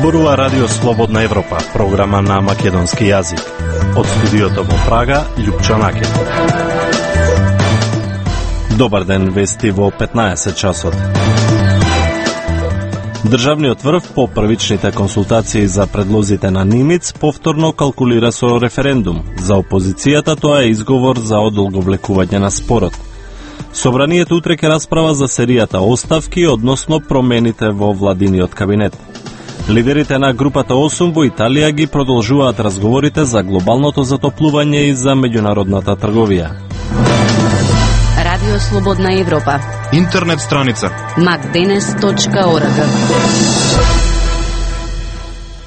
Зборува Радио Слободна Европа, програма на македонски јазик. Од студиото во Прага, Љупчо Накет. Добар ден, вести во 15 часот. Државниот врв по првичните консултации за предлозите на Нимиц повторно калкулира со референдум. За опозицијата тоа е изговор за одолговлекување на спорот. Собранието утре ќе расправа за серијата оставки, односно промените во владиниот кабинет. Лидерите на групата 8 во Италија ги продолжуваат разговорите за глобалното затоплување и за меѓународната трговија. Радио Слободна Европа. Интернет страница macdenes.org.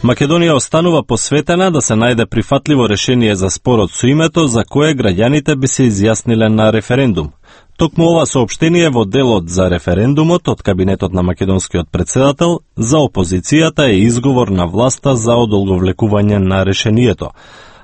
Македонија останува посветена да се најде прифатливо решение за спорот со името за кое граѓаните би се изјасниле на референдум. Токму ова соопштение во делот за референдумот од кабинетот на македонскиот председател за опозицијата е изговор на власта за одолговлекување на решението.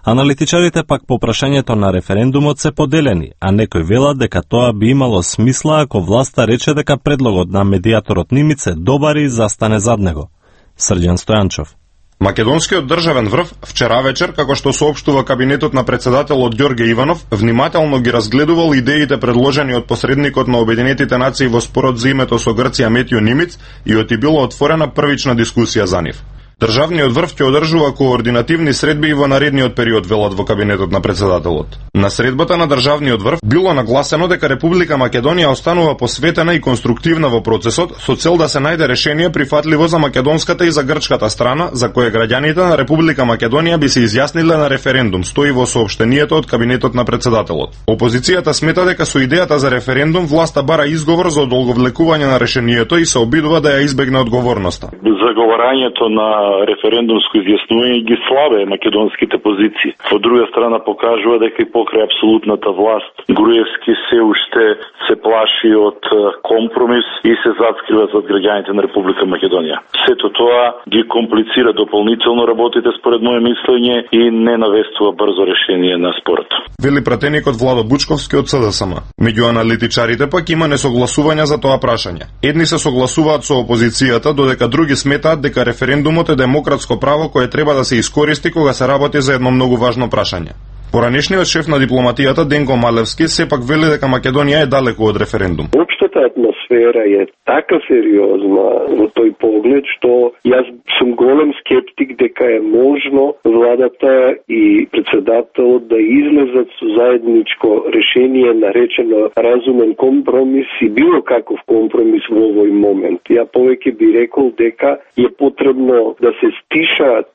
Аналитичарите пак по прашањето на референдумот се поделени, а некои велат дека тоа би имало смисла ако власта рече дека предлогот на медијаторот Нимиц е добар и застане зад него. Срđan Стојанчов. Македонскиот државен врв вчера вечер, како што соопштува кабинетот на председателот Ѓорге Иванов, внимателно ги разгледувал идеите предложени од посредникот на Обединетите нации во спорот за името со Грција Метјо Нимиц и оти било отворена првична дискусија за нив. Државниот врв ќе одржува координативни средби и во наредниот период, велат во кабинетот на председателот. На средбата на државниот врв било нагласено дека Република Македонија останува посветена и конструктивна во процесот со цел да се најде решение прифатливо за македонската и за грчката страна, за кое граѓаните на Република Македонија би се изјасниле на референдум, стои во соопштението од кабинетот на председателот. Опозицијата смета дека со идејата за референдум власта бара изговор за одолговлекување на решението и се обидува да ја избегне одговорноста. Заговарањето на референдумско изјаснување ги слабе македонските позиции. Од друга страна покажува дека и покрај апсолутната власт Груевски се уште се плаши од компромис и се зацкрива зад граѓаните на Република Македонија. Сето тоа ги комплицира дополнително работите според моје мислење и не навестува брзо решение на спорот. Вели пратеникот Владо Бучковски од СДСМ. Меѓу аналитичарите пак има несогласувања за тоа прашање. Едни се согласуваат со опозицијата, додека други сметаат дека референдумот е демократско право кое треба да се искористи кога се работи за едно многу важно прашање. Поранешниот шеф на дипломатијата Денко Малевски сепак вели дека Македонија е далеку од референдум. Општата атмосфера е така сериозна во тој поглед што јас сум голем скептик дека е можно владата и председателот да излезат со заедничко решение наречено разумен компромис и било каков компромис во овој момент. Ја повеќе би рекол дека е потребно да се стишаат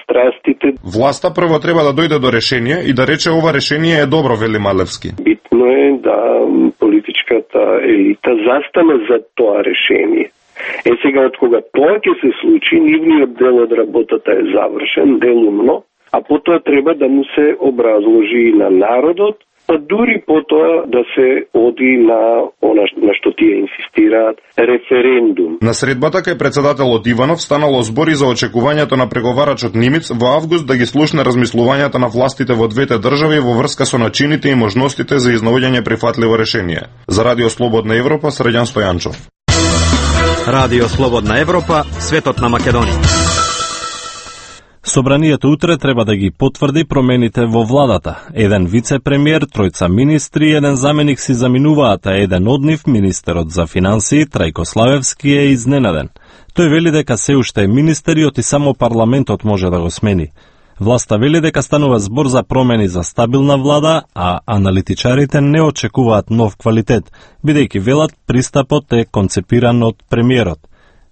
страстите. Власта прво треба да дојде до решение и да рече ова решение е добро, вели Малевски. Битно е да политичката елита застане за тоа решение. Сега од кога тоа ќе се случи, нивниот дел од работата е завршен, делумно, а потоа треба да му се образложи и на народот, па дури потоа да се оди на она на што тие инсистираат, референдум. На средбата кај председателот Иванов станало збори за очекувањето на преговарачот Нимиц во август да ги слушне размислувањата на властите во двете држави во врска со начините и можностите за изнаоѓање прифатливо решение. За Радио Слободна Европа, Срđan Стојанчов. Радио Слободна Европа, светот на Македонија. Собранието утре треба да ги потврди промените во владата. Еден вице-премиер, тројца министри, еден заменик си заминуваат, а еден од нив, министерот за финансии, Трајко Славевски, е изненаден. Тој вели дека се уште е министериот и само парламентот може да го смени. Власта вели дека станува збор за промени за стабилна влада, а аналитичарите не очекуваат нов квалитет, бидејќи велат пристапот е концепиран од премиерот.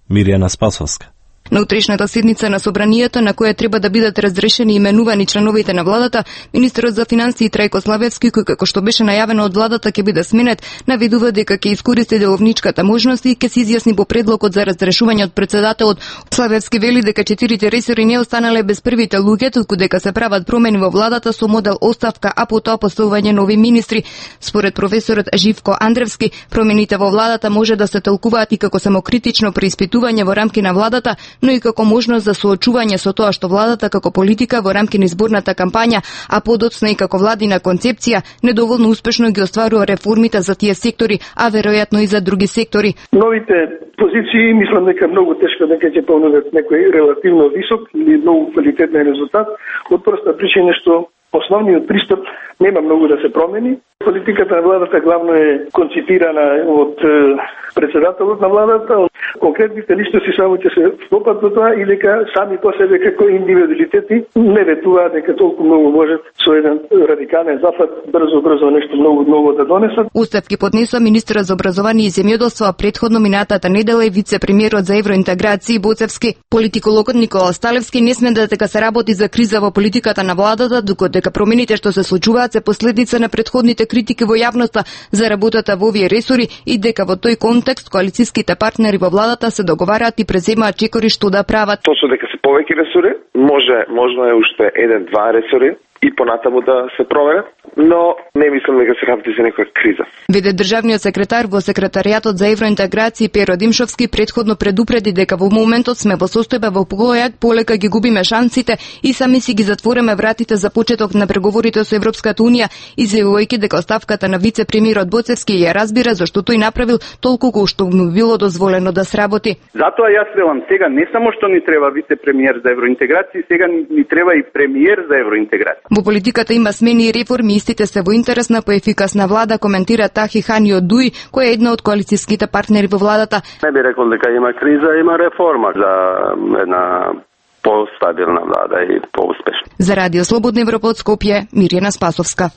Миријана Спасовска. На утрешната седница на собранието, на која треба да бидат разрешени и именувани членовите на владата, министерот за финансии Трајко Славевски, кој како што беше најавено од владата ќе биде сменет, наведува дека ќе искористи деловничката можност и ќе се изјасни по предлогот за разрешување од председателот. Славевски вели дека 4 ресори не останале без првите луѓе, толку дека се прават промени во владата со модел оставка, а потоа поставување нови министри. Според професорот Живко Андревски, промените во владата може да се толкуваат и како самокритично преиспитување во рамки на владата, но и како можност за соочување со тоа што владата како политика во рамки на изборната кампања, а подоцна и како владина концепција, недоволно успешно ги остварува реформите за тие сектори, а веројатно и за други сектори. Новите позиции мислам дека многу тешко дека ќе понудат некој релативно висок или многу квалитетен резултат, од проста причина што основниот пристап нема многу да се промени. Политиката на владата главно е конципирана од председателот на владата. Конкретните личности само ќе се встопат во тоа и дека сами по себе како индивидуалитети не ветуваат дека толку многу можат со еден радикален зафат брзо нешто многу да донесат. Оставки поднесува министерот за образование и земјоделство, а претходно минатата недела и вице-премиерот за евроинтеграција Боцевски. Политикологот Никола Сталевски не сменда дека се работи за криза во политиката на владата, докато промените што се случуваат се последица на претходните критики во јавноста за работата во овие ресори и дека во тој контекст коалицијските партнери во владата се договараат и преземаат чекори што да прават. Точно дека се повеќе ресори, можно е уште 1-2 ресори и понатаму да се проверат, но не мислам дека се работи за некоја криза. Веде државниот секретар во секретаријатот за евроинтеграција Перо Димшовски претходно предупреди дека во моментот сме во состојба во која полека ги губиме шансите и сами си ги затвореме вратите за почеток на преговорите со Европската унија, изјавувајќи дека оставката на вице-премиерот Боцевски ја разбира зашто тој направил толку колку што му било дозволено да сработи. Затоа јас велам сега не само што ни треба вице-премиер за евроинтеграција, сега ни треба и премиер за евроинтеграција. Во политиката има смени и реформи, истите се во интерес на поефикасна влада, коментира Тахи Ханио Дуи, кој е една од коалицијските партнери во владата. Не би рекол дека има криза, има реформа за една постабилна влада и поуспешна. За Радио Слободна Европа од Скопје, Мирјана Спасовска.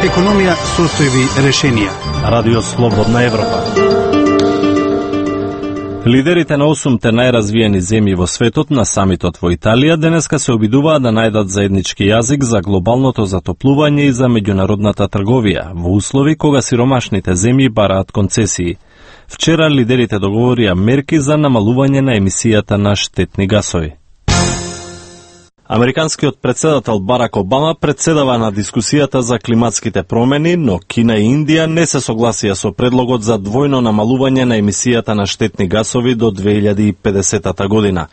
Економија, состојби, решенија. Радио Слободна Европа. Лидерите на 8 најразвиени земји во светот на самитот во Италија денеска се обидуваат да најдат заеднички јазик за глобалното затоплување и за меѓународната трговија, во услови кога сиромашните земји бараат концесии. Вчера лидерите договорија мерки за намалување на емисијата на штетни гасови. Американскиот председател Барак Обама председава на дискусијата за климатските промени, но Кина и Индија не се согласија со предлогот за двојно намалување на емисијата на штетни гасови до 2050 година.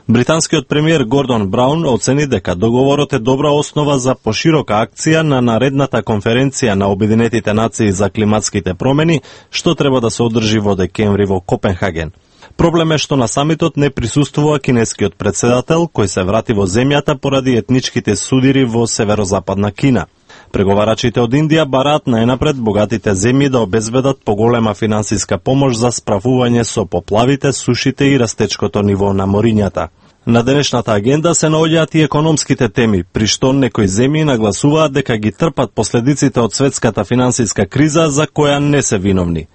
Британскиот премиер Гордон Браун оцени дека договорот е добра основа за поширока акција на наредната конференција на Обединетите нации за климатските промени, што треба да се одржи во декември во Копенхаген. Проблем е што на самитот не присуствува кинескиот председател, кој се врати во земјата поради етничките судири во северозападна Кина. Преговарачите од Индија бараат најнапред богатите земји да обезбедат поголема финансиска помош за справување со поплавите, сушите и растечкото ниво на морињата. На денешната агенда се наоѓаат и економските теми, при што некои земји нагласуваат дека ги трпат последиците од светската финансиска криза за која не се виновни.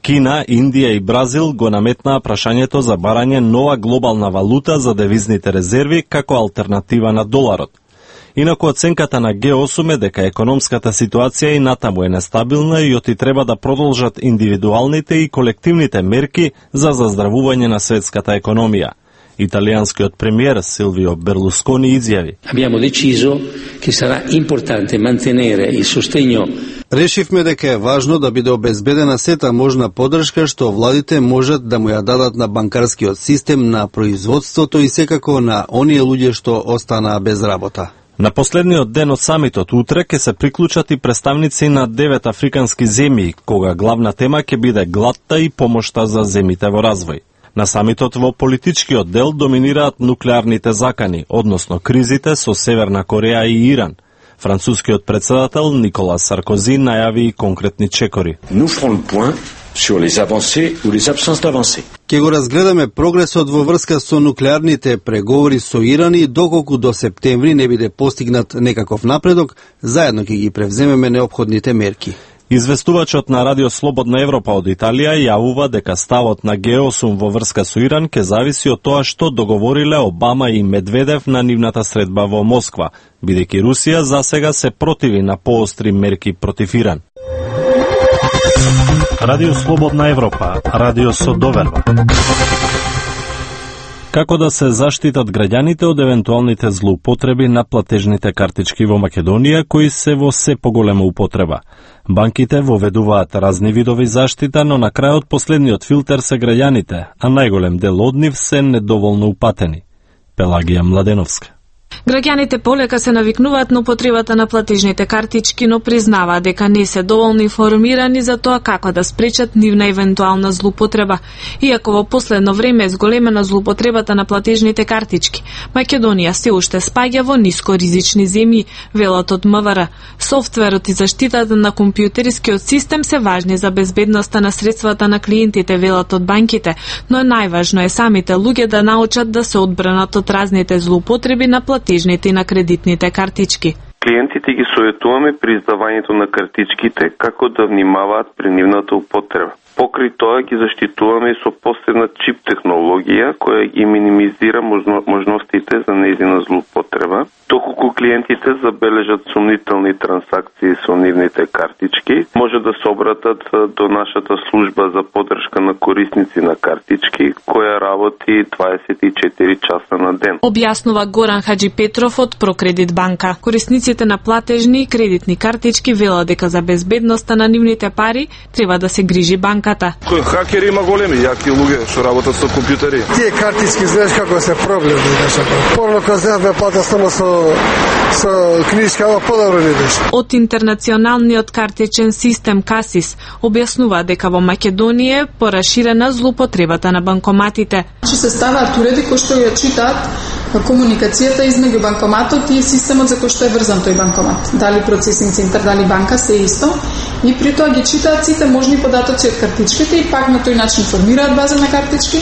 Кина, Индија и Бразил го наметнаа прашањето за барање нова глобална валута за девизните резерви како алтернатива на доларот. Инаку оценката на Г8 е дека економската ситуација и натаму е нестабилна и оти треба да продолжат индивидуалните и колективните мерки за заздравување на светската економија. Италијанскиот премиер Силвио Берлускони изјави: Abbiamo deciso che sarà importante mantenere il sostegno. Решивме дека е важно да биде обезбедена сета можна поддршка што владите можат да му ја дадат на банкарскиот систем, на производството и секако на оние луѓе што останаа без работа. На последниот ден од самитот утре ќе се приклучат и представници на 9 африкански земји, кога главна тема ќе биде гладта и помошта за земите во развој. На самитот во политичкиот дел доминираат нуклеарните закани, односно кризите со Северна Кореја и Иран. Францускиот председател Никола Саркози најави и конкретни чекори. Ке го разгледаме прогресот во врска со нуклеарните преговори со Иран и доколку до септември не биде постигнат некаков напредок, заедно ќе ги превземеме неопходните мерки. Известувачот на Радио Слободна Европа од Италија јавува дека ставот на Г8 во врска со Иран ќе зависи од тоа што договориле Обама и Медведев на нивната средба во Москва, бидејќи Русија засега се противи на поостри мерки против Иран. Радио Слободна Европа, радио со доверба. Како да се заштитат граѓаните од евентуалните злоупотреби на платежните картички во Македонија, кои се во се поголема употреба. Банките воведуваат разни видови заштита, но на крајот последниот филтер се граѓаните, а најголем дел од нив се недоволно упатени. Пелагија Младеновска. Граѓаните полека се навикнуваат на употребата на платежните картички, но признаваат дека не се доволно информирани за тоа како да спречат нивна евентуална злоупотреба. Иако во последно време е зголемена злоупотребата на платежните картички, Македонија се уште спаѓа во нискоризични земји, велат од МВР. Софтверот и заштитата на компјутерскиот систем се важни за безбедноста на средствата на клиентите, велат од банките, но најважно е самите луѓе да научат да се одбранат од разните злоупотреби на платежните и на кредитните картички. Клиентите ги советуваме при издавањето на картичките како да внимаваат при нивната употреба. Покрај тоа ги заштитуваме со посебна чип технологија која ги минимизира можностите за нејзина злоупотреба. Доколку клиентите забележат сумнителни трансакции со нивните картички, може да се обратат до нашата служба за поддршка на корисници на картички, која работи 24 часа на ден. Објаснува Горан Хаджи Петров од Прокредит банка. Корисниците на платежни и кредитни картички велат дека за безбедноста на нивните пари треба да се грижи банката. Хакери има големи јаки луѓе што работат со компјутери. Тие картички знаеш како се проблем беше. Порно кога се плата само со книжка, ова подобро не беше. Од интернационалниот картичен систем Касис објаснува дека во Македонија е пораширена злоупотребата на банкоматите. Се ставаат уреди кои што ја читаат комуникацијата измеѓу банкоматот и системот за кој што е врзан тој банкомат. Дали процесинг центар, дали банка, се исто. И при тоа ги читаат сите можни податоци од картичките и пак на тој начин формираат база на картички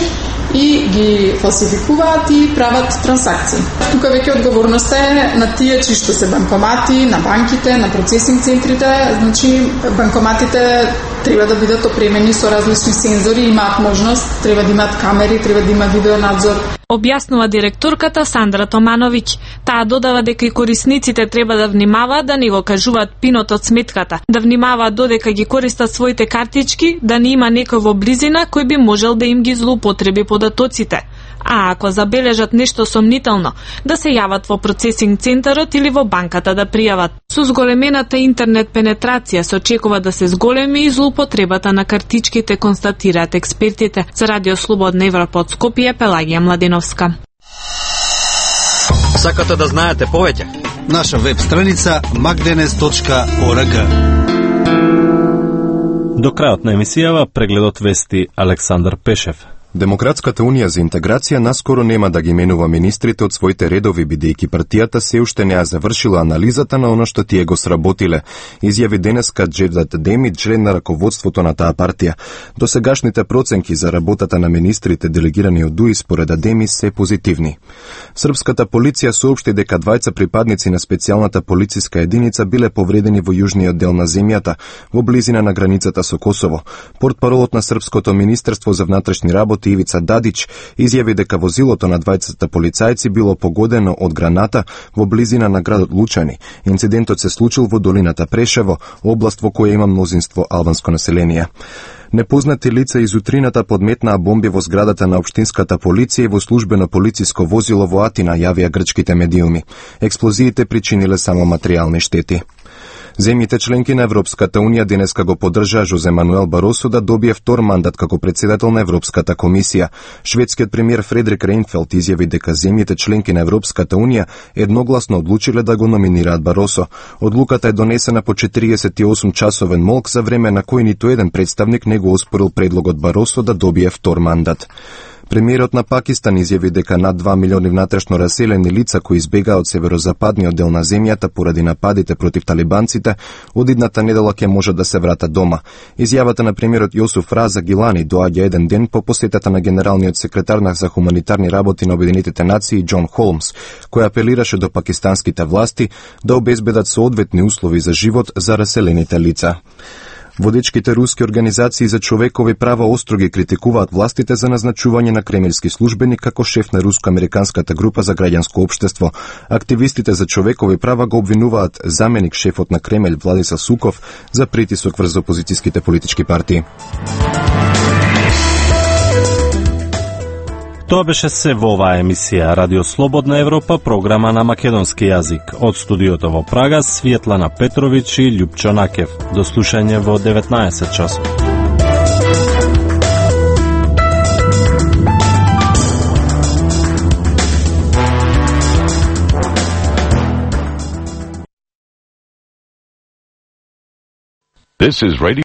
и ги фалсификуваат и прават трансакции. Тука веќе одговорноста е на тие чии што се банкомати, на банките, на процесинг центрите. Значи банкоматите треба да бидат опремени со различни сензори, имаат можност, треба да имаат камери, треба да има видеонадзор. Објаснува директорката Сандра Томановиќ. Таа додава дека и корисниците треба да внимаваат да не го кажуваат пинот од сметката, да внимаваат додека ги користат своите картички, да не има некој во близина кој би можел да им ги злоупотреби податоците. А ако забележат нешто сомнително, да се јават во процесинг центарот или во банката да пријават. Со зголемената интернет пенетрација се очекува да се зголеми и злоупотребата на картичките, констатираат експертите. За Радио Слободна Европа од Скопје, Пелагија Младеновска. Сакате да знаете повеќе? Наша веб страница magdenes.org. До крајот на емисијава прегледот вести Александар Пешев. Демократската унија за интеграција наскоро нема да ги менува министрите од своите редови, бидејќи партијата се уште не ја завршила анализата на оно што тие го сработиле, изјави денеска Джевдат Деми, член на раководството на таа партија. Досегашните проценки за работата на министрите делегирани од ДУИ според Деми се позитивни. Српската полиција соопшти дека двајца припадници на специјалната полициска единица биле повредени во јужниот дел на земјата, во близина на границата со Косово. Портпаролот на Српското министерство за внатрешни работи Ивица Дадич изјави дека возилото на двајцата полицајци било погодено од граната во близина на градот Лучани. Инцидентот се случил во долината Прешево, област во која има мнозинство албанско население. Непознати лица из утрината подметнаа бомби во зградата на општинската полиција и во службено полициско возило во Атина, јавија грчките медиуми. Експлозиите причиниле само материјални штети. Земјите членки на Европската унија денеска го поддржаа Жозе Мануел Баросо да добие втор мандат како претседател на Европската комисија. Шведскиот премиер Фредрик Рейнфелд изјави дека земјите членки на Европската унија едногласно одлучиле да го номинираат Баросо. Одлуката е донесена по 48-часовен молк за време на кој ниту еден представник не го оспорил предлогот Баросо да добие втор мандат. Премиерот на Пакистан изјави дека над 2 милиони внатрешно раселени лица кои избегаа од северозападниот дел на земјата поради нападите против талибанците, од идната недела ќе може да се вратат дома. Изјавата на премиерот Јосуф Раза Гилани доаѓа еден ден по посетата на генералниот секретар за хуманитарни работи на Обединетите нации Џон Холмс, кој апелираше до пакистанските власти да обезбедат соодветни услови за живот за раселените лица. Водечките руски организации за човекови права остро ги критикуваат властите за назначување на кремелски службеник како шеф на руско-американската група за граѓанско општество. Активистите за човекови права го обвинуваат заменик шефот на Кремљ Владислав Суков за притисок врз опозицијските политички партии. Тоа беше се во оваа емисија Радио Слободна Европа, програма на македонски јазик. Од студиото во Прага, Светлана Петрович и Љупчо Накев. До слушање во 19 часот. This is Radio